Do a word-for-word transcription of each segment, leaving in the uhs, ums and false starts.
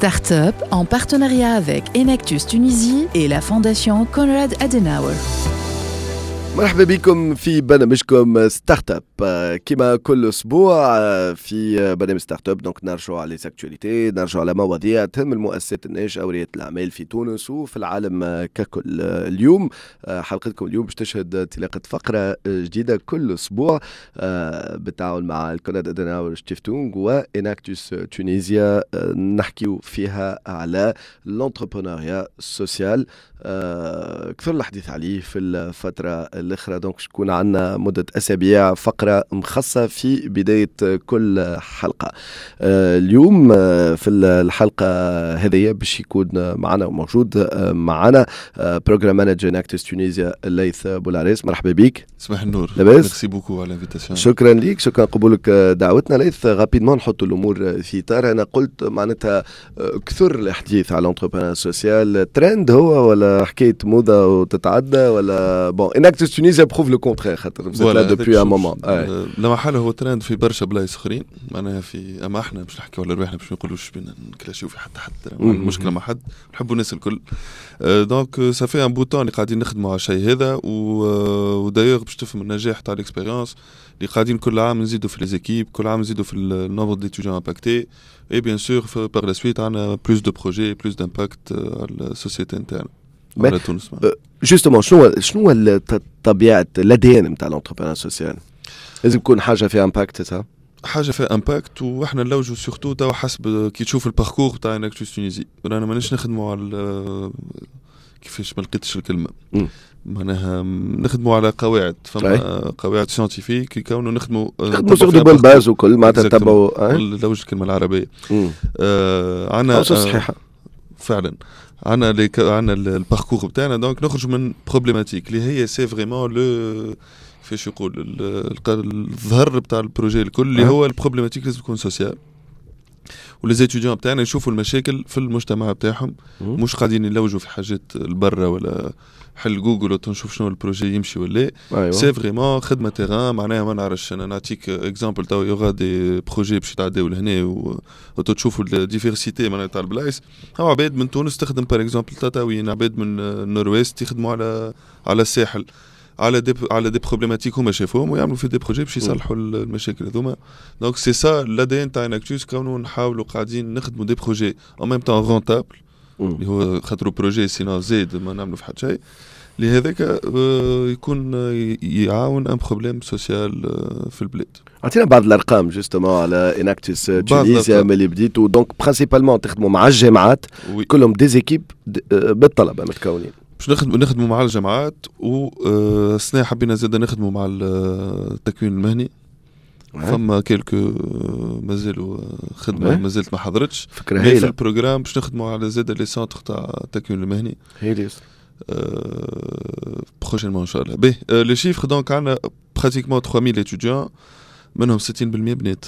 Startup en partenariat avec Enactus Tunisie et la Fondation Konrad Adenauer. مرحبا بكم في برنامجكم Startup. كما كل اسبوع في برنامج Startup، donc نرجعوا على les actualités، نرجعوا على مواضيع تهم المؤسسات الناشئة ورياده الاعمال في تونس وفي العالم ككل. اليوم حلقتكم اليوم باش تشهد انطلاقة فقره جديدة كل اسبوع بالتعاون مع ال Konrad Adenauer Stiftung و Enactus Tunisia، نحكيو فيها على l'entrepreneuriat social. كثر الحديث عليه في الفترة الاخرى، donc تكون عندنا مده اسابيع فقره مخصصة في بداية كل حلقه. اليوم في الحلقة هذه باش يكون معنا وموجود معنا program manager Enactus Tunisia ليث بولاريس. مرحبا بك. صباح النور. لاباس؟ merci beaucoup على l'invitation. شكرا لك، شكرا قبولك دعوتنا. ليث، rapidement نحط الامور في اطار. انا قلت معناتها كثر الحديث على l'entrepreneuriat social، trend هو ولا حكاية موضة وتتعدى؟ ولا bon، Enactus Tunisia prouve le contraire خاطر là depuis un moment. لا محالة هو ترند في برشا بلايص اخرين، معناها في اما احنا باش نحكيو على رواحنا، باش ما نقولوش بينا نكلاشيو في حتى حد، المشكلة مع حد، نحبوا الناس الكل. donc ça fait un bout de temps اللي قاعدين نخدموا على الشيء هذا، و d'ailleurs باش تفهم النجاح تاع l'expérience اللي قاعدين كل عام نزيدوا في les équipes، كل عام نزيدوا في ال nombre d'étudiants impactés et bien sûr par la suite عندنا plus de projets، plus d'impact على ال société نتاعنا، على تونس. justement، شنو شنو طبيعة l'ADN نتاع l'entrepreneuriat social؟ لازم يكون حاجة فيها impact، ça؟ حاجة فيها impact، واحنا نلوجوا surtout توا حسب كي تشوف ال parcours تاع Enactus Tunisie، رانا ماناش نخدموا على كيفاش، ما لقيتش الكلمه، معناها نخدموا على قواعد، فما قواعد scientifiques يكونوا نخدموا. نخدموا sur de bonnes bases وكل معناتها تبعوا. لوج الكلمة العربيه. آه عندنا صحيحه. فعلا عندنا عندنا ال parcours بتاعنا، donc نخرج من problématique اللي هي c'est vraiment le كيفاش يقول الظهر بتاع ال projet الكل، اللي هو ال problématique لازم تكون sociale، و les étudiants بتاعنا يشوفوا المشاكل في المجتمع بتاعهم، مش قاعدين يلوجوا في حاجات البرة ولا حل جوجل ونشوف شنو ال projet يمشي ولا أيوة. c'est vraiment خدمة terrain. معناها ما نعرفش، انا نعطيك exemple، تو il y aura des projets باش يتعداو لهنا وتشوفوا ال diversité معناها تاع البلايص. هاو عباد من تونس تخدم par exemple تطاوين، عباد من ال nord-ouest يخدموا على على الساحل، على des على des problématiques هما شافوهم ويعملوا في des projets باش يصلحوا المشاكل هذوما. donc c'est ça l'ADN تاع Enactus، كونوا نحاولوا قاعدين نخدموا des projets en même temps rentables، اللي هو خاطرو projet sinon زيد ما نعملوا في حتى شيء، لهذاك آه، يكون يعاون un problème social في البلاد. اعطينا بعض الارقام justement على Enactus Tunisia ملي بديتوا. donc principalement تخدموا مع الجامعات، كلهم des équipes بالطلبه متكونين. باش نخدموا نخدموا مع الجامعات، والسنة حبينا زاد نخدموا مع التكوين المهني. فما quelques مازالوا خدمة مازالت ما حضرتش. فكرة هايله. في ال programme باش نخدموا على زاد les centres تاع التكوين المهني. هايل. prochainement ان شاء الله. باهي، les chiffres، donc عندنا pratiquement ثلاثة آلاف étudiants، منهم ستين في المية بنات.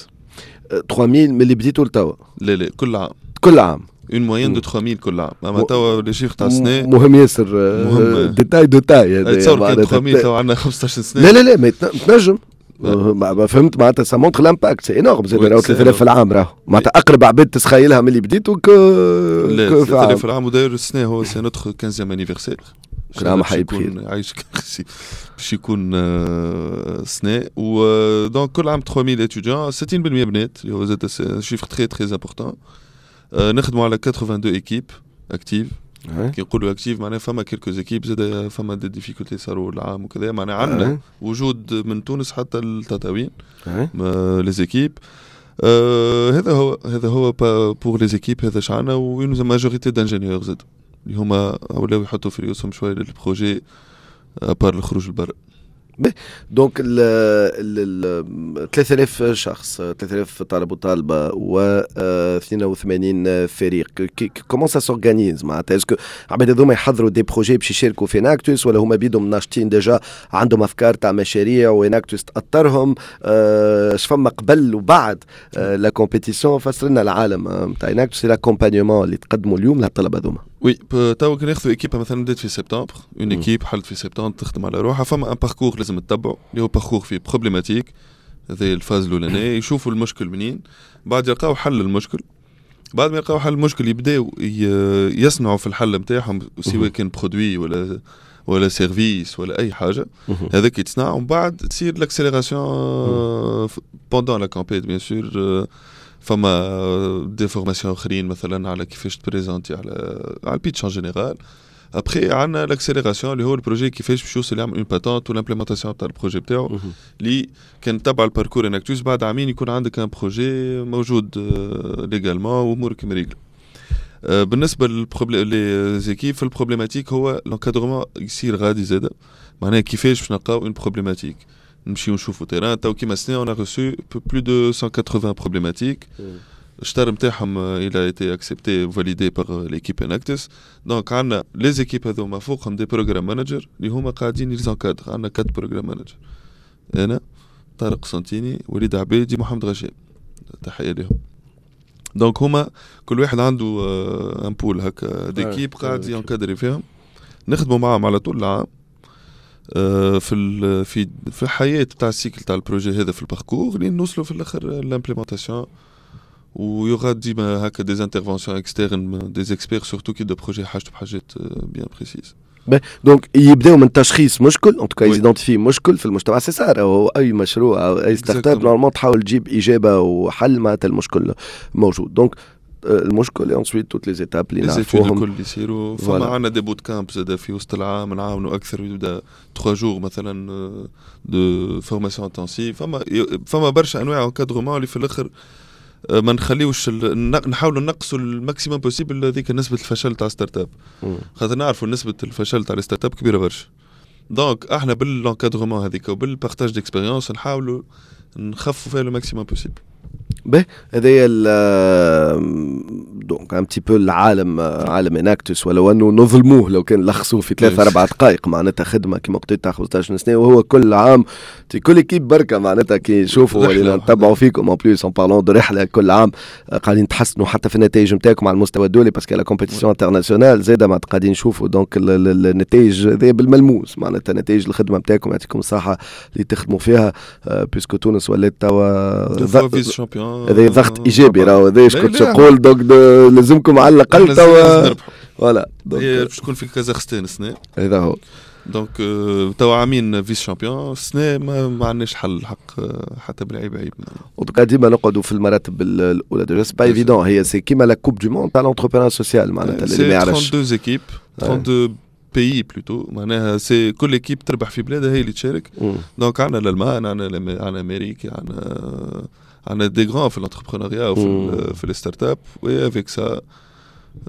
ثلاثة آلاف من اللي بديتوا لتوا؟ لا لا، كل عام. كل عام. une moyenne de ثلاثة آلاف كل عام، اما توا les chiffres تاع السنه. مهم ياسر، مهم détail de taille. تصور كان ثلاثة آلاف، توا عندنا خمسطاش سنه. لا لا لا، ما تنجم ما فهمت، معناتها ça montre l'impact، c'est énorme. زاد راهو ثلاثة آلاف في العام، راهو معناتها اقرب عباد تسخيلها من اللي بديتوا. ك لا، ثلاثة آلاف في العام. وداير السنة هو c'est notre quinzième anniversaire. كل عام حي بخير. عايشك، باش يكون سنة. و donc كل عام ثلاثة آلاف étudiants، ستين في المية بنات، اللي هو زاد chiffre très très important. نخدموا على اثنين وثمانين équipes actives. كي نقولوا actives معناها فما quelques équipes زاد فما des difficultés صاروا العام وكذا، معناها عندنا وجود من تونس حتى التطاوين les équipes. آه هذا هو هذا هو pour les équipes، هذا شعنا، و une majorité d'ingénieurs زاد اللي هما ولاو يحطوا في ريوسهم شوية لل projet à part الخروج لبرا. donc ال ثلاثة آلاف شخص، ثلاثة آلاف طالب وطالبه و اثنين وثمانين فريق، comment ça s'organise؟ معناتها est-ce que عباد هذوما يحضروا des projets باش يشاركوا في Enactus، ولا هما بيدهم ناشطين déjà عندهم افكار تاع مشاريع و Enactus تاطرهم؟ اش فما قبل وبعد la compétition؟ فسر لنا العالم نتاع Enactus، l'accompagnement اللي تقدموا اليوم للطلبة هذوما. oui، تو كي ناخذ équipe مثلا بدات في سبتمبر، une équipe حلت في سبتمبر تخدم على روحها، فما un parcours لازم تتبعه، اللي هو parcours فيه problématique، هذه ال phase الاولانيه، يشوفوا المشكل منين، بعد يلقاو حل المشكل. بعد ما يلقاو حل المشكل يبداو يصنعوا في الحل نتاعهم، سواء كان produit ولا ولا service ولا اي حاجه، هذاك يتصنع، ومن بعد تصير l'accélération pendant la compét. bien sûr فما des formations اخرين، مثلا على كيفاش ت présenter، على على ال pitch en général. après عندنا l'accélération اللي هو ال projet كيفاش باش يوصل يعمل une patente و l'implémentation تاع ال projet بتاعو، اللي كان تبع ال parcours Enactus، بعد عامين يكون عندك un projet موجود légalement وامورك مريقله. بالنسبة لل les équipes في ال problématique، هو l'encadrement يصير غادي زاده، معناها كيفاش باش نلقاو une problématique، نمشيو نشوفوا terrain. تو كيما سنة on a reçu plus de cent quatre-vingts problématiques، الشطر نتاعهم il a été accepté، validé par l'équipe Enactus. donc عندنا les équipes هذوما فوقهم des program managers اللي هما قاعدين les encadrent. عندنا quatre program managers، انا، طارق سنتيني، وليد عبيدي، محمد غشام، تحية لهم. donc هما كل واحد عنده un pool هكا d'équipes قاعد ي encadrer فيهم. نخدموا معاهم على طول العام آه، في في في الحياة تاع ال cycle تاع ال projet هذا، في ال parcours، لين نوصلوا في الاخر l'implémentation. و y aura ديما هكا des interventions externes، des experts، surtout كي des projets حاجته بحاجات bien précises. donc يبداو من تشخيص مشكل، en tout cas identifier مشكل في المجتمع، c'est ça. هو اي مشروع او اي startup normalement تحاول تجيب اجابه وحل معناتها المشكل موجود. donc المشكل، ensuite toutes les étapes اللي نعرفوهم الكل يصيروا. فما عندنا des bootcamps زاد في وسط العام، نعاونوا اكثر، يبدا trois jours مثلا de formation intensive. فما فما برشا انواع encadrement اللي في الاخر ما نخليوش، نحاولوا نقصوا ال maximum possible هذيك نسبه الفشل تاع startup، خاطر نعرفوا نسبه الفشل تاع ال startup كبيرة برشا. donc احنا بال encadrement هذيك وبال partage d'expérience نحاولوا نخفوا فيها le maximum possible. به، هذايا donc un petit peu العالم، عالم Enactus، ولو انه نظلموه لو كان لخصوه في ثلاث اربع دقائق. معناتها خدمة كما قلت تاع خمسطاش سنه، وهو كل عام كل équipe بركه، معناتها كي نشوفوا ولينا نتبعوا فيكم، en plus en parlant de رحله، كل عام قاعدين تحسنوا حتى في النتائج نتاعكم على المستوى الدولي، parce que la compétition internationale زاده معناتها قاعدين نشوفوا. donc النتائج هذه بالملموس، معناتها نتائج الخدمة نتاعكم، يعطيكم الصحة اللي تخدموا فيها، puisque تونس ولات توا هذا ضغط ايجابي راهو، هذا ايش كنت نقول. donc لازمكم على الاقل توا voilà. هي باش تكون في كازاخستان السنه. هذا هو. donc توا عامين vice-champion، السنة ما, ما عندناش حل الحق، حتى بالعيب عيب. en ديما نقعدوا في المراتب الاولى، déjà c'est pas évident. هي c'est كيما la coupe du monde تاع l'entrepreneuriat social، معناتها اللي ما يعرفش اثنين وثلاثين équipes، اثنين وثلاثين pays plutôt، معناها c'est كل équipe تربح في بلادها هي اللي تشارك. donc عندنا الالمان، عندنا عندنا امريكا، عندنا عندنا des grands في l'entrepreneuriat وفي في ال startup، و avec ça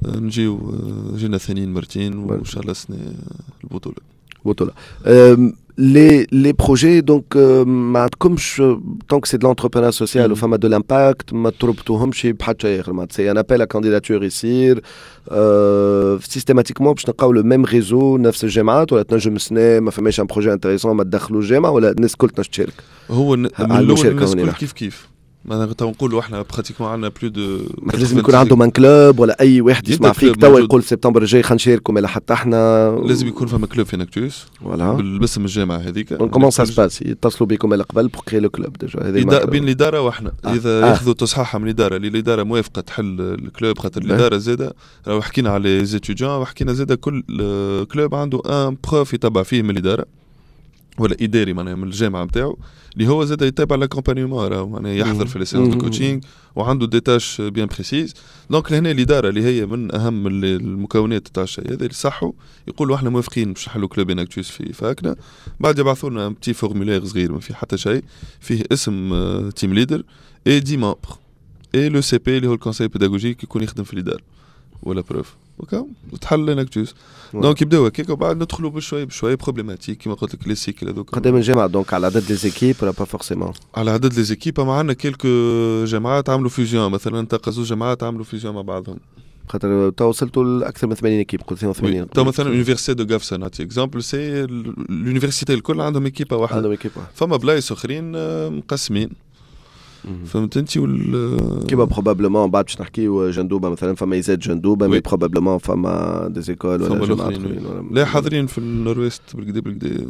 نجيو جينا ثانيين مرتين، وان شاء الله السنة البطوله. بطوله. les les projets donc ما عندكمش، tant que c'est de l'entrepreneuriat social وفما de l'impact، ما تربطوهمش بحتى شيء اخر؟ معناتها c'est un appel à candidature يصير systématiquement باش نلقاو le même réseau، نفس الجامعات، ولا تنجم سنة ما فماش un projet intéressant ما تدخلوا الجامعه، ولا الناس الكل تنجم تشارك؟ هو من الاول الناس الكل كيف كيف، معناها تو نقولوا احنا pratiquement عندنا plus de لازم يكون عندهم un club، ولا اي واحد يسمع فيك توا يقول سبتمبر الجاي خلينا نشاركوا، ولا حتى احنا؟ لازم يكون فما club في Enactus voilà بالاسم الجامعة هذيك. comment ça se passe؟ يتصلوا بكم من قبل pour créer le club déjà؟ هذه بين الادارة واحنا آه. اذا آه. ياخذوا تصحيحها من الاداره، اللي الادارة موافقة تحل ال club، خاطر الادارة زاده راهو حكينا على les étudiants وحكينا زاده كل club عنده un prof يتبع فيه من الادارة ولا اداري، معناها من الجامعة نتاعو، اللي هو زاد يتابع l'accompagnement، معناها يحضر في les séances de coaching وعنده des tâches bien précises. donc لهنا الادارة اللي هي من اهم المكونات تاع الشيء هذا، اللي صحوا يقولوا احنا موافقين باش نحلوا club Enactus في fac نا. بعد يبعثوا لنا petit formulaire صغير ما فيه حتى شيء، فيه اسم team leader et dix membres et le CP اللي هو ال conseiller pédagogique يكون يخدم في الادارة ولا prof، وكا وتحل Enactus. donc يبداو هكاك، وبعد ندخلوا بشوي بشوي problématiques كيما قلت لك les cycles هذوك. قدام الجامعه، donc على عدد les équipes ولا pas forcément؟ على عدد les équipes. معنا quelques جامعات عملوا fusion، مثلا تلقى زوج جامعات عملوا fusion مع بعضهم. خاطر تو وصلتوا لاكثر من ثمانين équipes، قلت اثنين وثمانين. تو مثلا université de Gafsa، نعطي exemple، c'est l'université الكل عندهم équipe واحده. عندهم équipe. فما بلايص اخرين مقسمين، فهمت انت وال كيما probablement بعد باش نحكيو جندوبه مثلا، فما ISET جندوبه، mais probablement فما des écoles ولا جامعات اخرين. لا، حاضرين في ال nord-ouest بالكدا بالكدا.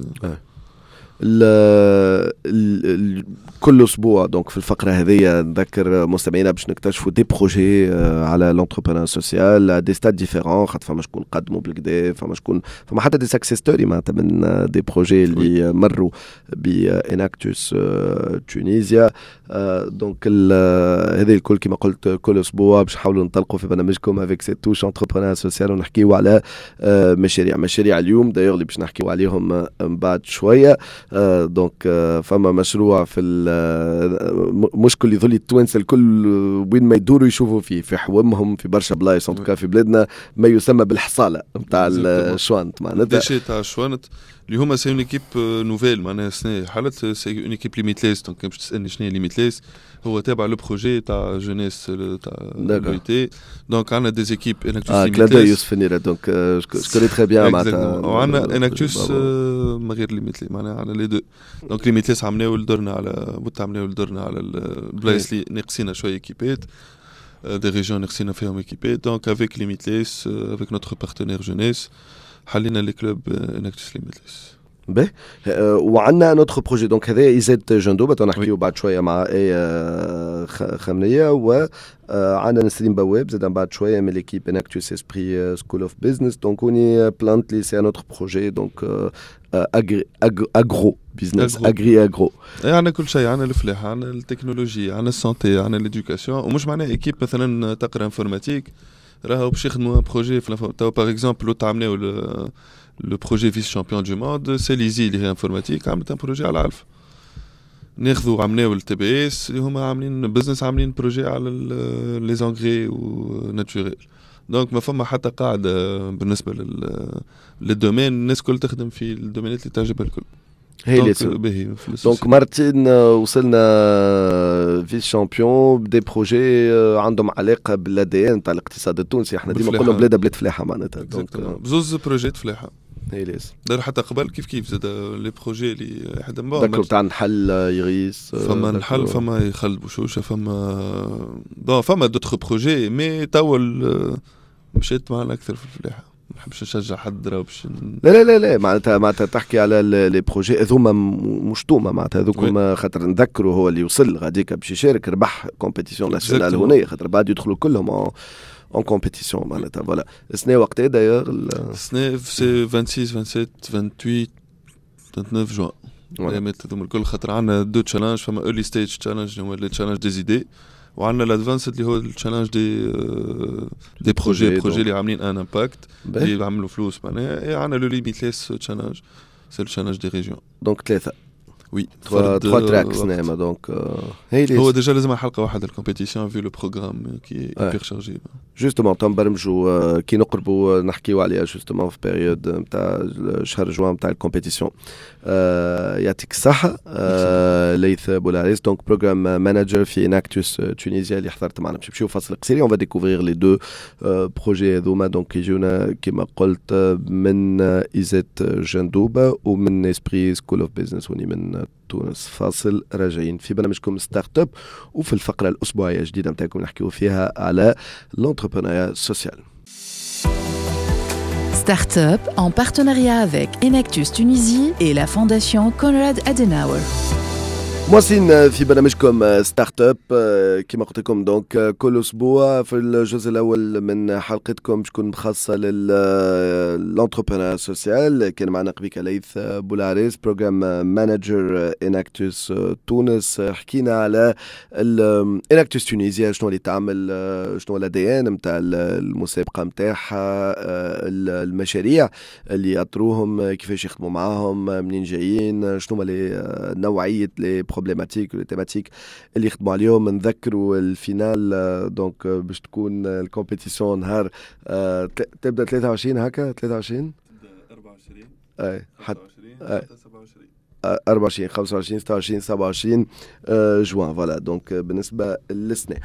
ال ال كل اسبوع donc في الفقرة هذه نذكر مستمعينا باش نكتشفوا des projets على l'entrepreneuriat social, des stades différents، خاطر فما شكون قدموا بالكدا، فما شكون، فما حتى des success stories معناتها من des projets اللي مروا ب Enactus Tunisia. donc هذه الكل كما قلت كل اسبوع باش نحاولوا ننطلقوا في برنامجكم avec cette touche entrepreneuriat social ونحكيو على مشاريع. مشاريع اليوم d'ailleurs اللي باش نحكيو عليهم من بعد شويه، donc فما مشروع في مشكل يظل التوانسة الكل وين ما يدوروا يشوفوا فيه في حومهم، في برشا بلايص en tout cas في بلادنا، ما يسمى بالحصاله نتاع الشوانت معناتها déchets تاع الشوانت، اللي هما c'est une équipe nouvelle، معناها السنة حالت c'est une équipe Limitless. donc باش تسالني شنو هي Limitless، هو تابع le projet تاع Jeunesse تاع l'O I T. donc عندنا des équipes Enactus اه كلاد يوسف نيرة، donc je connais très bien. معناتها وعندنا Enactus من غير Limitless، معناها عندنا les deux. donc Limitless عملناو درنا على بوت، عملناو درنا على البلايص اللي ناقصينا شوية équipe ات، des régions ناقصينا فيهم équipe ات. donc avec Limitless، avec notre partenaire Jeunesse، حلينا les clubs Enactus Limitless. باهي، وعندنا un autre projet، donc هذا ISET جندوبة، نحكيو بعد شوية مع اي خمنيه، و عندنا نسرين بواب زاد بعد شوية من l'équipe Enactus Esprit School of Business. donc هوني Plantly، c'est un autre projet، donc agri agro business، agri agro. عندنا كل شيء، عندنا الفلاحه، عندنا التكنولوجيا، عندنا ال santé، عندنا l'éducation. ومش معناها équipe مثلا تقرا informatique راهو باش يخدموا projet في تو. par exemple تعملوا le projet vice-champion du monde، c'est l'ISI اللي هي informatique، عملت un projet على العلف. ناخذوا عملناو ال T B S اللي هما عاملين business، عاملين projet على les engrais naturels. donc ما فما حتى قاعدة بالنسبة لل لل domaine، الناس الكل تخدم في ال domaine ات اللي تعجبها الكل. هي donc مرتين وصلنا vice-champion ب des projets عندهم علاقة بال A D N تاع الاقتصاد التونسي. احنا ديما نقولوا بلاد بلاد فلاحة معناتها. donc بزوز projets فلاحه. هي ليس دار حتى قبل كيف كيف زاد les projets اللي حدا ذكروا تاع نحل يغيس. فما نحل، فما يخلد بوشوشه، فما bon فما d'autres projets، mais توا مشيت معنا اكثر في الفلاحه. ما نحبش نشجع حد راه باش لا لا لا لا، معناتها معناتها تحكي على les projets هذوما مش توما معناتها هذوك، خاطر نذكروا هو اللي وصل غاديك باش يشارك ربح compétition nationale هنا، خاطر بعد يدخلوا كلهم en compétition معناتها. voilà، السنة وقتها d'ailleurs؟ السنة c'est vingt-six، vingt-sept، vingt-huit، vingt-neuf جوان، الايامات هذوما الكل، خاطر عندنا deux challenges. فما early stage challenge اللي هو ال challenge des idées، وعندنا ال advanced اللي هو ال challenge des des projets projets اللي عاملين un impact، اللي عملوا فلوس معناها. عندنا le Limitless challenge، c'est ال challenge des régions. donc ثلاثه. oui. trois tracks نعم، donc هي هو déjà لازم حلقة واحدة ال compétition vu le programme qui est hyper chargé. justement تنبرمجوا كي نقربوا نحكيو عليها justement في période نتاع شهر جوان نتاع ال compétition. يعطيك الصحة ليث بولاريس، donc programme manager في Enactus Tunisia اللي حضرت معنا. باش نمشيو فاصل قصير، on va découvrir les deux projets هذوما، donc يجونا كيما قلت من ISET جندوبه ومن Esprit School of Business وني من تونس. فاصل، راجعين في برنامجكم Startup وفي الفقرة الأسبوعية الجديدة نتاعكم نحكيو فيها على l'entrepreneuriat social. Start-up en partenariat avec Enactus Tunisie et la Fondation Konrad Adenauer. مواصلين في برنامجكم Startup، كما قلت لكم donc كل اسبوع في الجزء الاول من حلقتكم باش تكون مخصصة لل l'entrepreneuriat social. كان معنا قبيك ليث بولاريس، programme manager Enactus تونس، حكينا على Enactus Tunisia، شنو اللي تعمل، شنو l'A D N نتاع المسابقة نتاعها، المشاريع اللي يأطروهم، كيفاش يخدموا معاهم، منين جايين، شنو les نوعية les problématiques، les thématiques اللي يخدموا عليهم. نذكروا ال finale donc باش تكون ال compétition نهار تبدا ثلاثة وعشرين هكا، ثلاثة وعشرين. أربعة وعشرين. اي حتى سبعة وعشرين، أربعة وعشرين، خمسة وعشرين، ستة وعشرين، سبعة وعشرين جوان. voilà، donc بالنسبة للسنة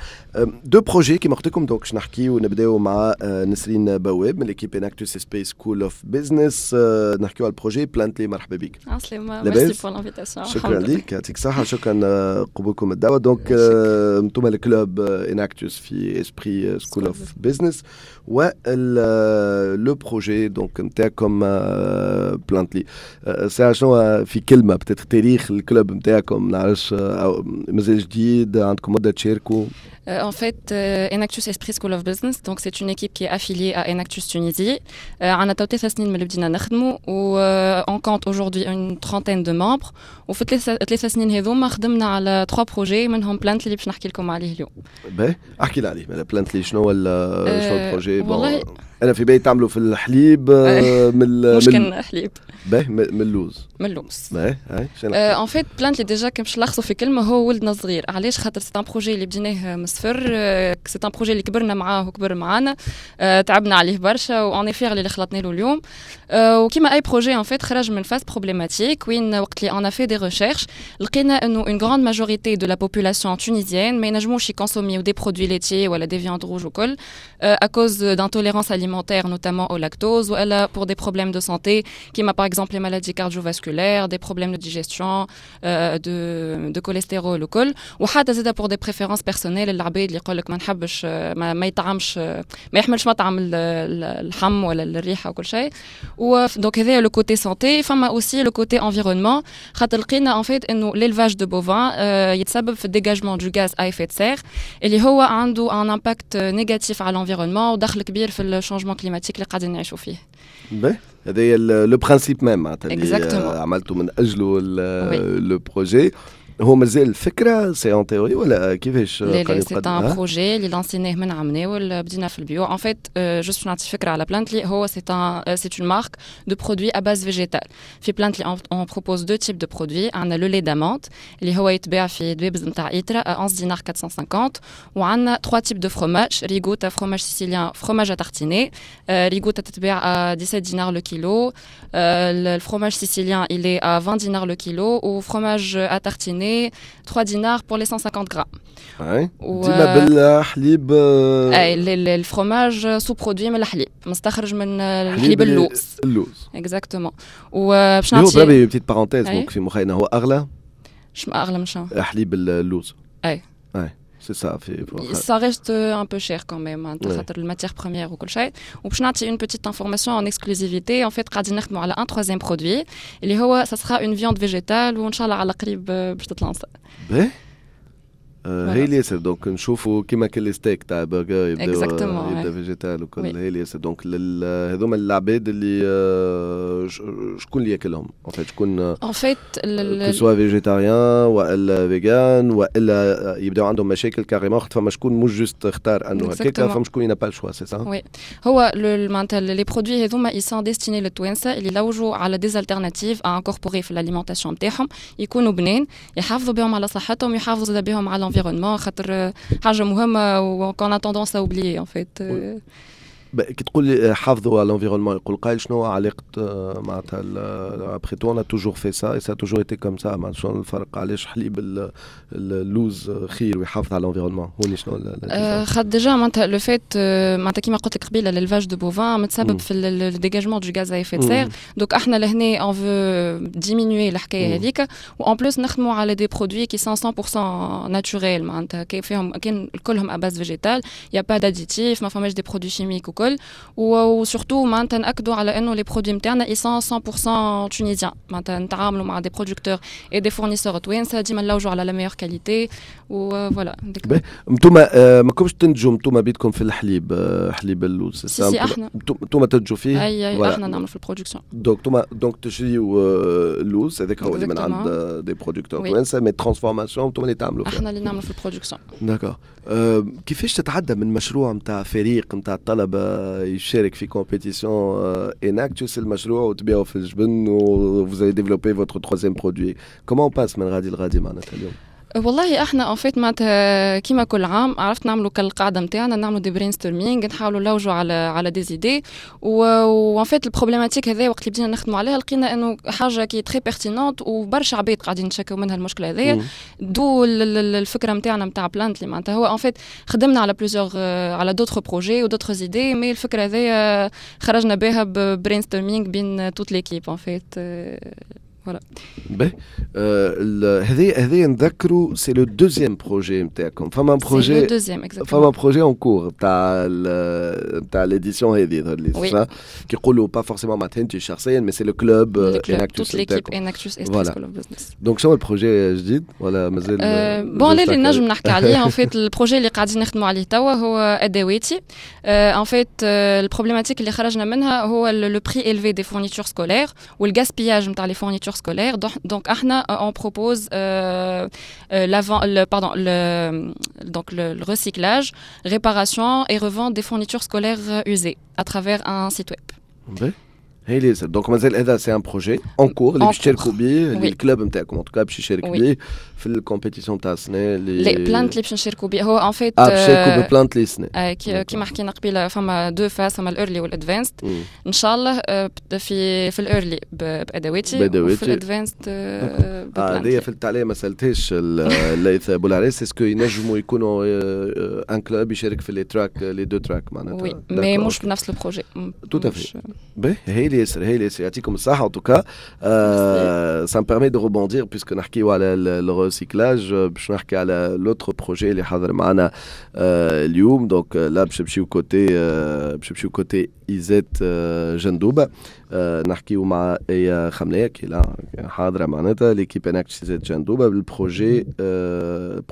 deux projets كيما قلت لكم. donc باش نحكيو ونبداو مع نسرين بواب من l'équipe Enactus Esprit School of Business، نحكيو على ال projet Plantly. مرحبا بك. عسلامة، merci pour l'invitation. شكرا لك، يعطيك الصحه، شكرا قبولكم الدعوه. donc انتم ال club Enactus في Esprit School of Business و le projet donc نتاعكم Plantly. ساعة شنو في كلمة كلمه، peut-être تاريخ ال club نتاعكم، نعرفش مازال جديد، عندكم مده تشاركوا؟ En fait, euh, Enactus Esprit School of Business, donc c'est une équipe qui est affiliée à Enactus Tunisie. عندنا تو ثلاث سنين من اللي بدينا نخدموا و on compte aujourd'hui une trentaine de membres. وفي ثلاث سنين هذوما خدمنا على trois projets، منهم Plantly اللي باش نحكي لكم عليه اليوم. باهي، احكي لنا عليه Plantly، شنو هو شنو ال projet؟ والله انا في بالي تعملوا في الحليب. من مش كان حليب. باهي، من اللوز. من اللوز. باهي. en fait Plantly déjà كي باش نلخصوا في كلمة هو ولدنا صغير. علاش؟ خاطر c'est un projet اللي بديناه من الصفر، c'est un projet اللي كبرنا معاه وكبر معانا، تعبنا عليه برشا و on est fiers اللي خلطنا له اليوم. وكيما اي projet en fait خرج من phase problématique، وين وقت اللي on a fait des recherches لقينا انه une grande majorité de la population tunisienne ما ينجموش يكونسوميو des produits laitiers ولا des viandes rouges وكل à cause d'intolérance alimentaire، notamment au lactose، ou pour des problèmes de santé كيما par exemple les maladies cardiovasculaires، des problèmes de digestion، euh, de, de cholestérol وكل، وحتى زاد pour des préférences personnelles، العباد اللي يقول لك ما نحبش ما, ما يطعمش، ما يحملش مطعم اللحم ولا الريحة وكل شيء. و donc هذا le côté santé. فما aussi le côté environnement، خاطر لقينا en fait انه l'élevage de bovins يتسبب في dégagement du gaz à effet de serre اللي هو عنده un impact négatif على l'environnement ودخل كبير في ال changement climatique اللي قاعدين نعيشوا فيه. باهي، هذا le principe même معناتها اللي عملته من اجله le projet. هو مازال فكره، c'est en théorie ولا كيفاش؟ لا لا، c'est un projet اللي لانسيناه من عام بدينا في البيو. en fait juste باش نعطي فكرة على Plantly، هو c'est un c'est une marque de produits à base végétale. في Plantly on propose deux types de produits. عندنا le lait d'amande اللي هو يتباع في دبابز نتاع ايترا onze دينار أربعمية وخمسين، وعندنا trois types de fromage: ricotta، fromage sicilien، fromage à tartiner. ricotta تتباع dix-sept دينار le kilo، ال fromage sicilien il est à vingt dinars le kilo، و fromage à tartiner trois dinars pour les cent cinquante grammes. اي، ديما بالحليب؟ اي، ال fromage sous-produit من الحليب، مستخرج من الحليب اللوز. اللوز. exactement. وباش نعطي هو بربي petite parenthèse، donc في مخينا هو اغلى. شو اغلى من شنو؟ حليب اللوز. اي. اي، c'est ça. في ça reste un peu cher quand même خاطر ال matière première وكل شيء. وباش نعطي une petite information en exclusivité، en fait قاعدين نخدموا على un troisième produit اللي هو ça sera une viande végétale، وان شاء الله على قريب باش تتلانسا. باهي، هايل ياسر. donc نشوفوا كيما كل ستيك تاع برجر يبدا يبدا végétal وكل، هايل ياسر. donc هذوما العباد اللي شكون اللي ياكلهم en fait؟ شكون en fait que ce soit végétarien والا végan والا يبداو عندهم مشاكل carrément، خاطر فما شكون مش juste اختار انه هكاك، فما شكون n'a pas le choix، c'est ça؟ oui، هو معناتها les produits هذوما ils sont destinés للتوانسه اللي لوجوا على des alternatives à incorporer في l'alimentation نتاعهم، يكونوا بنين، يحافظوا بهم على صحتهم، يحافظوا بهم على l'environnement، خاطر حاجة مهمة و qu'on a tendance à oublier en fait. كي تقول حافظوا على l'environnement، يقول قايل شنو علاقة معناتها؟ après tout on a toujours fait ça et ça a toujours été comme ça. معناتها شنو الفرق؟ علاش حليب اللوز خير ويحافظ على l'environnement؟ هوني شنو؟ خاطر déjà معناتها le fait معناتها كيما قلت لك قبيلة l'élevage de bovins متسبب في ال dégagement du gaz à effet de serre، donc احنا لهنا on veut diminuer الحكاية هذيك. و en plus نخدموا على des produits qui sont cent pour cent naturels، معناتها فيهم كان كلهم à base végétale، y a pas d'additifs، ما فماش des produits chimiques وكل. و surtout معناتها ناكدوا على انه les produits نتاعنا ils sont cent pour cent tunisiens، معناتها نتعاملوا مع des producteurs et des fournisseurs توانسه، ديما نلوجوا على la meilleure qualité و voilà. انتم ما كنتش تنتجوا انتم بيدكم في الحليب، حليب اللوز؟ si si، احنا. انتم تنتجوا فيه؟ اي اي، احنا نعملوا في ال production. donc انتم donc تشريوا اللوز هذاك هو اللي من عند des producteurs توانسه، mais transformation انتم اللي تعملوا فيها؟ احنا اللي نعملوا في ال production. d'accord. كيفاش تتعدى من مشروع نتاع فريق نتاع الطلبة يشارك في compétition Enactus المشروع وتبيعوا في الجبن و vous avez développé votre troisième produit؟ comment on passe من غادي لغادي معناتها اليوم؟ والله احنا en fait معناتها كيما كل عام عرفت نعملوا كالقاعده نتاعنا، نعملوا des brainstorming، نحاولوا نلوجوا على على des idées. و en fait ال problématique هذا وقت اللي بدينا نخدموا عليها لقينا انه حاجة qui est très pertinente وبرشا عباد قاعدين نتشكوا منها المشكلة هذيا، d'où الفكرة نتاعنا نتاع Plantly. معناتها هو en fait خدمنا على plusieurs على d'autres projets و d'autres idées، mais الفكرة هذيا خرجنا بها brainstorming بين toute l'équipe en fait. voilà. باهي، هذه هذه نذكروا c'est le deuxième projet نتاعكم. فما projet فما projet en cours تاع تاع l'édition هذه يظهر لي، كي يقولوا pas forcément معناتها انت شخصيا، mais c'est le club. Enactus، toute l'équipe Enactus ESTRIS School of Business. donc شنو ال projet جديد ولا مازال؟ bon، اللي نجم نحكي عليه en fait، ال projet اللي قاعدين نخدموا عليه توا هو ادواتي. en fait ال problématique اللي خرجنا منها هو le prix élevé des fournitures scolaires وال gaspillage نتاع les fournitures scolaires. donc احنا on propose l'avant le, pardon le donc le, le recyclage، réparation et revente des fournitures scolaires usées à travers un site web. هي donc مازال هذا c'est un projet en cours اللي باش تشاركوا به، اللي ال club نتاعكم en tout cas باش يشارك به في ال compétition تاع السنة اللي لا، Plantly باش نشاركوا به هو en fait. اه، باش تشاركوا ب Plantly السنه. كيما حكينا قبيله، فما deux phases، فما ال early وال advanced. ان شاء الله في في ال early بادواتي، وفي ال advanced. اه، هذه في التعليم ما سالتهاش ليث بولعريس، est-ce que ينجموا يكونوا un club يشارك في les tracks، les deux tracks معناتها؟ oui، mais مش بنفس ال projet. tout à fait. باهي، هايل ياسر، هايل ياسر، يعطيكم الصحة. en tout cas ça me permet de rebondir puisque نحكيو على ال recyclage، باش نحكي على l'autre projet اللي حاضر معنا اليوم. donc là باش نمشيو côté باش نمشيو côté ISET جندوبة، نحكيو مع ايا خملية qui est là، حاضرة معناتها l'équipe Enactus ISET جندوبة بال projet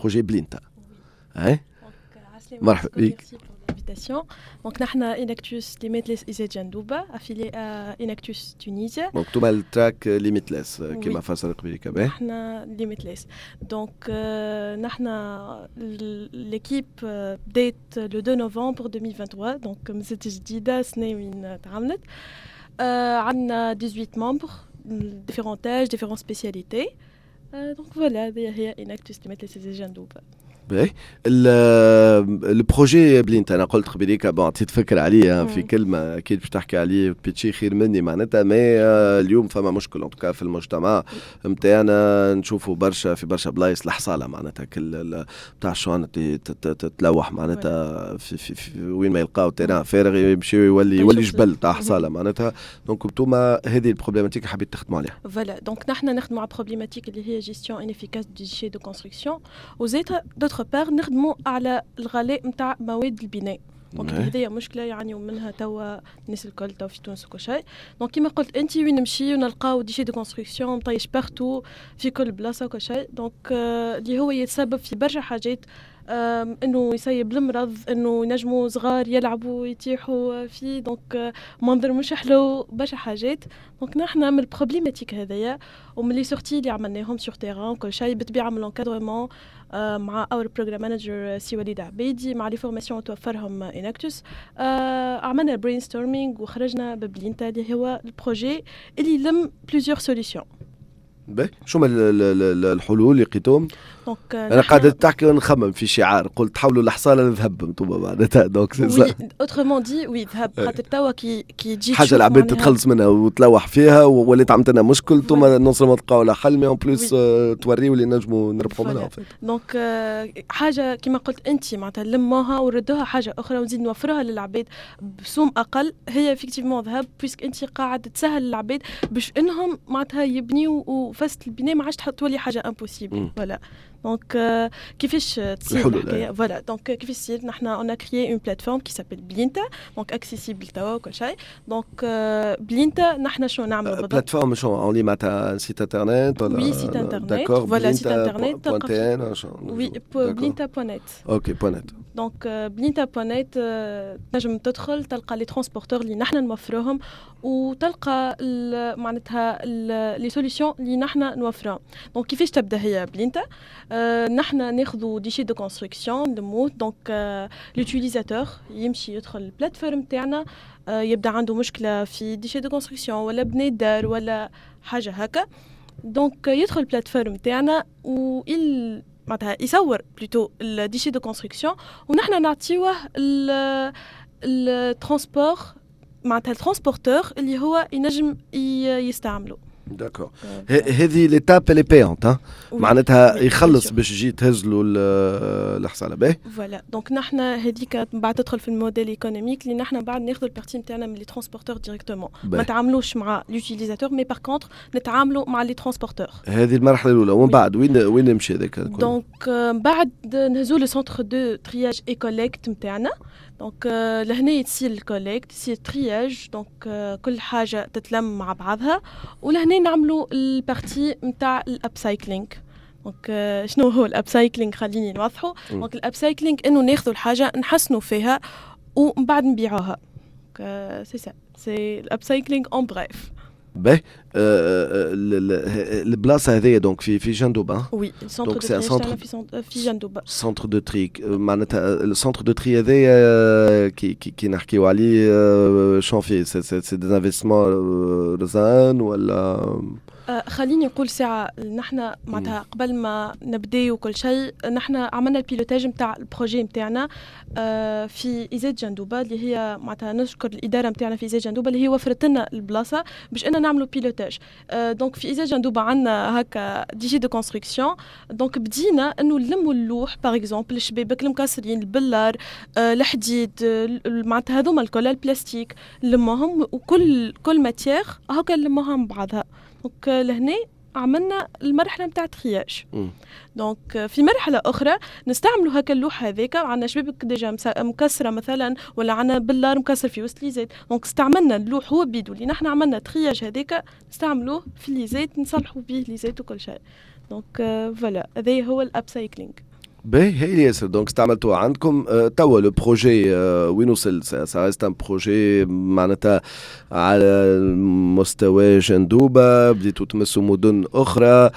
projet بلينتا. هاي مرحبا بك. L'invitation. Donc, نحن Enactus Limitless ISET Jendouba, affilié à Enactus Tunisia. Donc, tout le track Limitless كما فسر قبيل. كمان نحن Limitless. Donc, نحن l'équipe بدات le deux novembre deux mille vingt-trois، donc مازالت جديدة، سنة وين تعملت. عندنا dix-huit membres، différents âges، différentes spécialités. Donc voilà، هذه هي Enactus Limitless ISET Jendouba. باهي، ال projet بلينتا، انا قلت قبيليك، bon، عطيت فكرة عليه في كلمه، اكيد باش تحكي عليه pitcher خير مني معناتها، mais اليوم فما مشكل en tout cas في المجتمع نتاعنا، نشوفوا برشا في برشا بلايص الحصاله معناتها، كل بتاع الشوانط تتلوح معناتها في, في, في وين ما يلقاو terrain فارغ يمشيو، يولي يولي جبل تاع حصاله معناتها. donc انتوما هذه ال problématique حبيت تخدموا عليها. voilà، donc نحن نخدموا على problématique اللي هي gestion inefficace des déchets de construction، وزيد d'autre part نخدموا على الغلاء نتاع مواد البناء. donc هذه مشكلة يعانيوا منها توا الناس الكل توا في تونس وكل شيء. donc كيما قلت انت، وين نمشي ونلقاو déchets de construction مطيش partout في كل بلاصة وكل شيء. donc اللي هو يتسبب في برشا حاجات، انه يسيب المرض، انه ينجموا صغار يلعبوا يتيحوا فيه، donc منظر مش حلو، برشا حاجات. donc نحن من ال problématique هذايا ومن les sorties اللي عملناهم sur terrain كل شيء، بالطبيعة من l'encadrement مع our program manager سي وليد عبيدي، مع les formations توفرهم Enactus، عملنا brainstorming وخرجنا ببلينتا اللي هو ال projet اللي يلم plusieurs solutions. باهي، شو هما الحلول اللي لقيتهم؟ donc انا قاعد تحكي ونخمم في شعار، قلت تحولوا الحصاله لذهب انتم معناتها، donc c'est ça autrement dit، oui، ذهب، خاطر توا كي كي تجي حاجة العباد تتخلص منها وتلوح فيها وولات عملت لنا مشكل، انتم non seulement تلقاو لها حل، mais en plus توريو اللي نجموا نربحوا منها. donc حاجة كيما قلت انت معناتها نلموها وردوها حاجة اخرى ونزيد نوفروها للعباد بسوم اقل، هي effectivement ذهب، puisque انت قاعد تسهل للعباد باش انهم معناتها يبنيو، وفست البناء ما عادش تولي حاجة impossible. voilà، donc كيفاش تصير الحكاية؟ voilà، donc كيفاش تصير؟ نحن on a créé une plateforme qui s'appelle بلينتا، donc accessible توا وكل شيء. donc بلينتا نحن شنو نعملوا بالضبط؟ plateforme شنو en ligne معناتها site internet ولا؟ oui، site internet، voilà، site internet، oui، بلينتا point net. OK، point net. donc بلينتا point net تنجم تدخل تلقى les transporteurs اللي نحن نوفروهم وتلقى معناتها les solutions اللي نحن نوفروهم. donc كيفاش تبدا هي بلينتا؟ آه نحن ناخذوا déchets de construction نلموه. donc l'utilisateur يمشي يدخل ال plateforme تاعنا، آه يبدا عنده مشكلة في déchets de construction ولا بني دار ولا حاجة هكا، donc يدخل ال plateforme تاعنا و معناتها يصور plutôt ال déchets de construction، ونحن نعطيوه ال transport، معناتها ال transporteur اللي هو ينجم يستعمله. d'accord، هذه l'étape elle est payante، معناتها يخلص باش يجي تهز له الحصاله، باهي. voilà، donc نحن هذيك من بعد تدخل في ال modèle économique اللي نحن بعد ناخذ ال partie نتاعنا من les transporteurs directement، ما نتعاملوش مع l'utilisateur، mais par contre نتعاملوا مع les transporteurs. هذه المرحلة الاولى، ومن بعد وين وين نمشي هذاك؟ donc بعد نهزو le centre de triage et collecte نتاعنا. donc لهنا تصير ال collecte، تصير triage، donc كل حاجة تتلم مع بعضها، ولهنا نعملوا ال partie نتاع ال upcycling. donc شنو هو ال upcycling؟ خليني نوضحه. donc ال upcycling انه ناخذوا الحاجه، نحسنوا فيها ومن بعد نبيعوها. c'est ça، c'est ال upcycling en bref. باهي، البلاصة هذيا donc في في جندوبه؟ oui، ال centre de tri في في جندوبه. centre de tri، معناتها ال centre de tri هذايا كي كي, كي نحكيو عليه، شنو فيه؟ c'est c'est des investissements رزان ولا؟ آه، خليني نقول ساعة، نحن معناتها قبل ما نبداو وكل شيء، نحن عملنا ال pilotage نتاع ال projet نتاعنا آه، في ISET جندوبة، اللي هي معناتها نشكر الإدارة نتاعنا في ISET جندوبة اللي هي وفرت لنا البلاصة باش أنا نعملوا pilotage. donc في ISET جندوبة عندنا هكا déchets de construction، donc بدينا انه نلموا اللوح par exemple، الشبابك المكسرين، البلار، آه، الحديد، معناتها هذوما الكل، البلاستيك، نلموهم وكل كل matière هكا نلموها مع بعضها. donc لهنا عملنا المرحلة نتاع triage. donc في مرحلة اخرى نستعملوا هكا اللوح هذاك، عندنا شبابك déjà مكسرة مثلا ولا عندنا بلار مكسر في وسط l'ISET، donc استعملنا اللوح هو بيدو اللي نحن عملنا triage هذاك، نستعملوه في l'ISET، نصلحوا به l'ISET وكل شيء. donc voilà، هذا هو ال upcycling. باهي، هي ياسر. donc استعملتوها عندكم. أه توا le projet أه وين وصل؟ ça reste un projet معناتها على مستوى جندوبه؟ بديتوا تمسوا مدن اخرى؟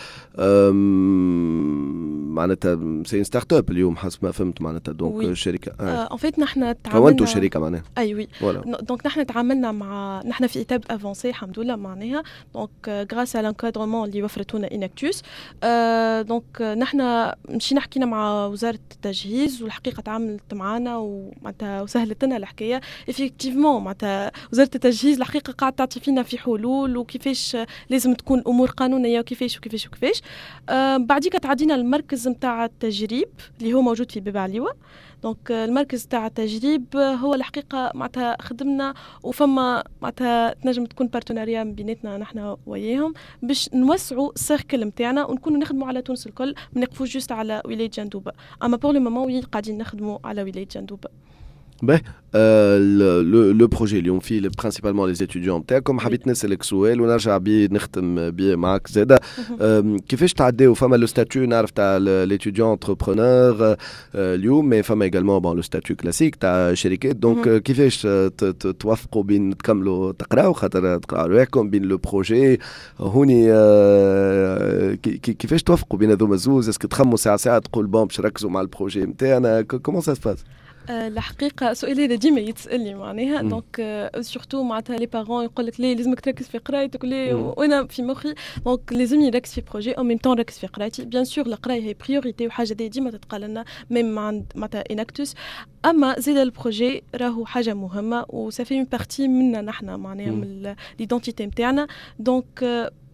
معناتها c'est start-up اليوم حسب ما فهمت، معناتها donc الشركه. en fait نحن تعاملنا، كونتوا شركة معناها. اي oui، donc نحن تعاملنا مع، نحن في étape avancée الحمد لله معناها، donc grâce à l'encadrement اللي وفرته لنا Enactus. donc نحن مشينا حكينا مع وزارة التجهيز، والحقيقة تعاملت معنا ومعناتها وسهلت لنا الحكايه. effectivement معناتها وزارة التجهيز الحقيقة قاعدة تعطي فينا في حلول وكيفاش لازم تكون امور قانونية وكيفاش وكيفاش وكيفاش. آه بعديك تعدينا المركز نتاع التجريب اللي هو موجود في باب عليوه. donc المركز تاع التجريب هو الحقيقة معناتها خدمنا وفما معناتها تنجم تكون partenariat بيناتنا نحن وياهم باش نوسعوا ال cercle نتاعنا ونكونوا نخدموا على تونس الكل، ما نقفوش juste على ولاية جندوبه. اما pour le moment oui، قاعدين نخدموا على ولاية جندوبه. باهي، le projet اليوم فيه principalement les étudiants نتاعكم. حبيت نسالك سؤال ونرجع بيه نختم بيه معاك زاده، كيفاش تعداو؟ فما le statut نعرف تاع l'étudiant entrepreneur اليوم، mais فما également bon le statut classique تاع شركات. donc كيفاش توفقوا بين تكملوا تقراو، خاطر تقراو رواحكم، بين le projet هوني؟ كيفاش توفقوا بين هذوما زوز؟ est-ce que تخموا ساعة ساعة تقول bon باش نركزوا مع ال projet نتاعنا؟ comment ça se passe؟ الحقيقة السؤال هذا ديما يتسالني معناها، donc surtout معناتها les parents يقول لك ليه لازمك تركز في قرايتك وليه، وانا في مخي donc لازمني نركز في projet en même temps نركز في قرايتي. bien sûr القراية هي priorité وحاجه دي ديما تتقال لنا même عند معناتها Enactus، اما زيد ال projet راهو حاجة مهمة و ça fait une partie منا نحن معناها من l'identité نتاعنا. donc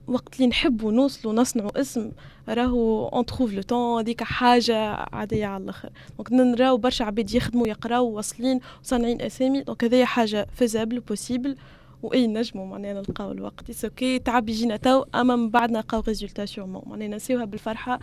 وقت اللي نحبوا نوصلوا نصنعوا اسم راهو on trouve le temps، هذيك حاجة عادية على الاخر. donc نراو برشا عباد يخدموا، يقراو، واصلين وصانعين اسامي، donc هذه حاجة faisable، possible، واي نجموا معناها نلقاو الوقت. c'est okay تعب يجينا تو، اما من بعد نلقاو résultat sûrement، معناها نسيوها بالفرحه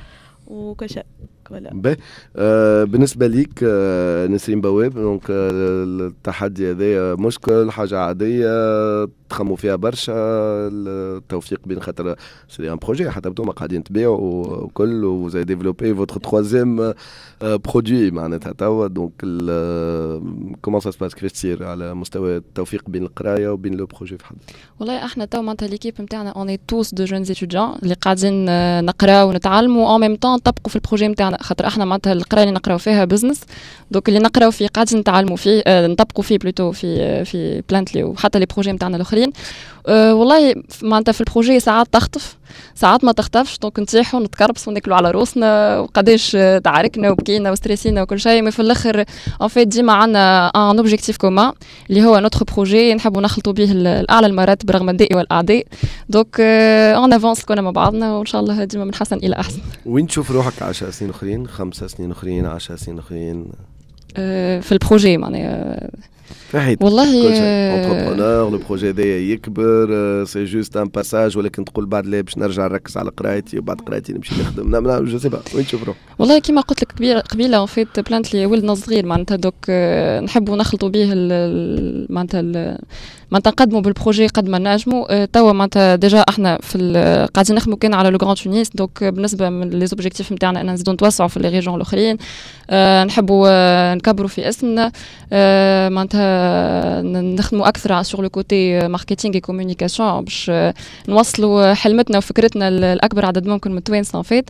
وكل شيء. voilà. باهي، آه بالنسبة ليك آه نسرين بواب، donc آه التحدي هذا مشكل، حاجة عاديه، تخموا فيها برشا التوفيق بين، خاطر c'est un projet حتى انتم قاعدين تبيعوا وكل و vous avez développé votre troisième produit معناتها توا. donc comment ça se passe؟ كيفاش تصير على مستوى التوفيق بين القراية وبين le projet في حد؟ والله احنا تو معناتها l'équipe نتاعنا on est tous de jeunes étudiants اللي قاعدين نقراو ونتعلموا en même temps نطبقوا في ال projet نتاعنا، خاطر احنا معناتها القراية اللي نقراو فيها business، donc اللي نقراو فيه قاعدين نتعلموا فيه، اه نطبقوا فيه plutôt في في Plantly وحتى les projets نتاعنا الاخرين. أه والله معناتها في ال projet ساعات تخطف. ساعات ما تخطفش، donc نطيحوا، نتكربسوا، ناكلوا على روسنا، وقداش تعاركنا وبكينا وستريسينا وكل شيء، mais في الاخر en fait ديما عندنا un objectif commun اللي هو notre projet، نحبوا نخلطوا به الاعلى المراتب رغم الداء والاعداء. donc on avance كلنا مع بعضنا، وان شاء الله ديما من حسن الى احسن. وين تشوف روحك عشر سنين اخرين، خمسة سنين اخرين، عشر سنين اخرين؟ آه، في ال projet معناها؟ في حياتك. والله entrepreneur، le projet هذايا يكبر، c'est juste un passage، ولكن تقول بعد لا، باش نرجع نركز على قرايتي، وبعد قرايتي نمشي نخدم. لا لا، je sais pas، وين تشوف روحك؟ والله كيما قلت لك قبيله، en fait Plantly ولدنا صغير معناتها، donc نحبوا نخلطوا به معناتها معناتها نقدموا بال projet قد ما نجموا. توا معناتها déjà احنا في قاعدين نخدموا كان على le Grand Tunis، donc بالنسبة من les objectifs نتاعنا ان نزيدوا نتوسعوا في les régions الاخرين. نحبوا نكبروا في اسمنا، معناتها نخدموا اكثر sur le côté marketing et communication باش نوصلوا حلمتنا وفكرتنا لاكبر عدد ممكن من التوانسة en fait.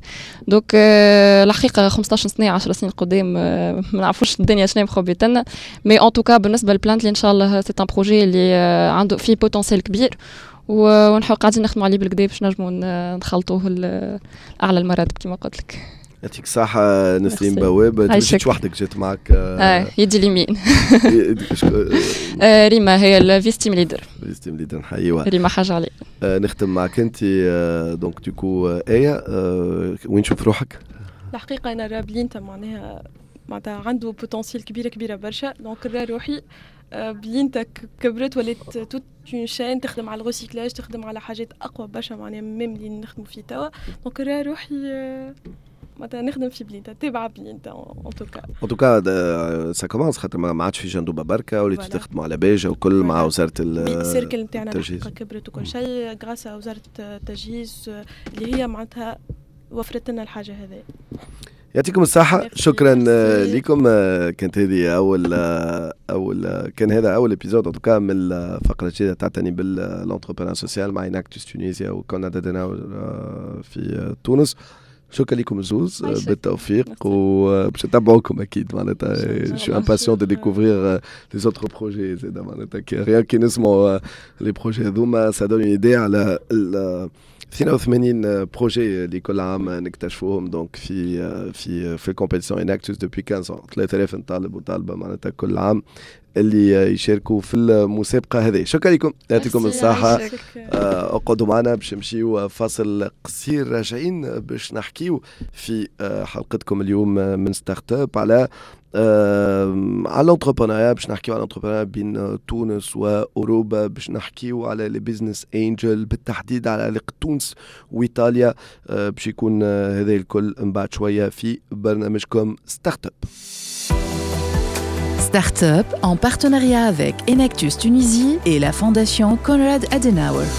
donc الحقيقة خمسطاش سنه، عشر سنين قدام، ما نعرفوش الدنيا شنو مخبيت لنا، mais en tout cas بالنسبة ل Plantly ان شاء الله c'est un projet اللي عنده فيه potentiel كبير، ونحاول قاعدين نخدموا عليه بالقدا باش نجموا نخلطوه اعلى المراتب كما قلت لك. يعطيك الصحة نسرين بواب. ما جيتش وحدك، جيت معك اه يدي اليمين آه، ريما، هي ال vice team leader. vice team leader، نحييوها. ريما حاجة علي. آه نختم معك انت donc du coup آية، آه وين تشوف روحك؟ الحقيقة أنا راه بلينتا معناها معناتها عنده potentiel كبيرة كبيرة برشا، donc راه روحي بلينتا كبرت ولات toute une chaîne تخدم على ال recyclage، تخدم على حاجات اقوى برشا معناها même اللي نخدموا فيه توا. donc راه روحي معناتها نخدم في بلينتا، تابعه بلينتا en tout cas. en tout cas ça commence، خاطر ما عادش في جندوبه بركه، وليتوا تخدموا على باجه وكل مع وزارة ال cercle نتاعنا كبرت وكل شيء grâce à وزارة التجهيز اللي هي معناتها وفرت لنا الحاجة هذه. يعطيكم الصحة، شكرا لكم. كانت هذه أول أول كان هذا أول épisode en tout cas من الفقرة الجديدة تعتني بال entrepreneuriat social مع Enactus Tunisia وكونراد أديناور في تونس. شكرا لكم الزوز، بالتوفيق، وباش نتبعوكم اكيد. معناتها je suis impatient de découvrir les autres projets زاد، معناتها rien que نسمعوا les projets هذوما ça donne une idée على اثنين وثمانين projets اللي كل عام نكتشفوهم donc في في في ال compétition Enactus depuis خمسطاش، ثلاثة آلاف طالب وطالبه معناتها كل عام اللي يشاركوا في المسابقة هذه. شكرا لكم، يعطيكم الصحه. آه، اقعدوا معنا باش نمشيو فاصل قصير، راجعين باش نحكيو في آه، حلقتكم اليوم من Startup على على l'entrepreneuriat، باش نحكيو على l'entrepreneuriat بين تونس واوروبا، باش نحكيو على les business angels، بالتحديد على علاقة تونس وايطاليا. آه، باش يكون هذا الكل من بعد شوية في برنامجكم Startup. Start-up en partenariat avec Enactus Tunisie et la Fondation Konrad Adenauer.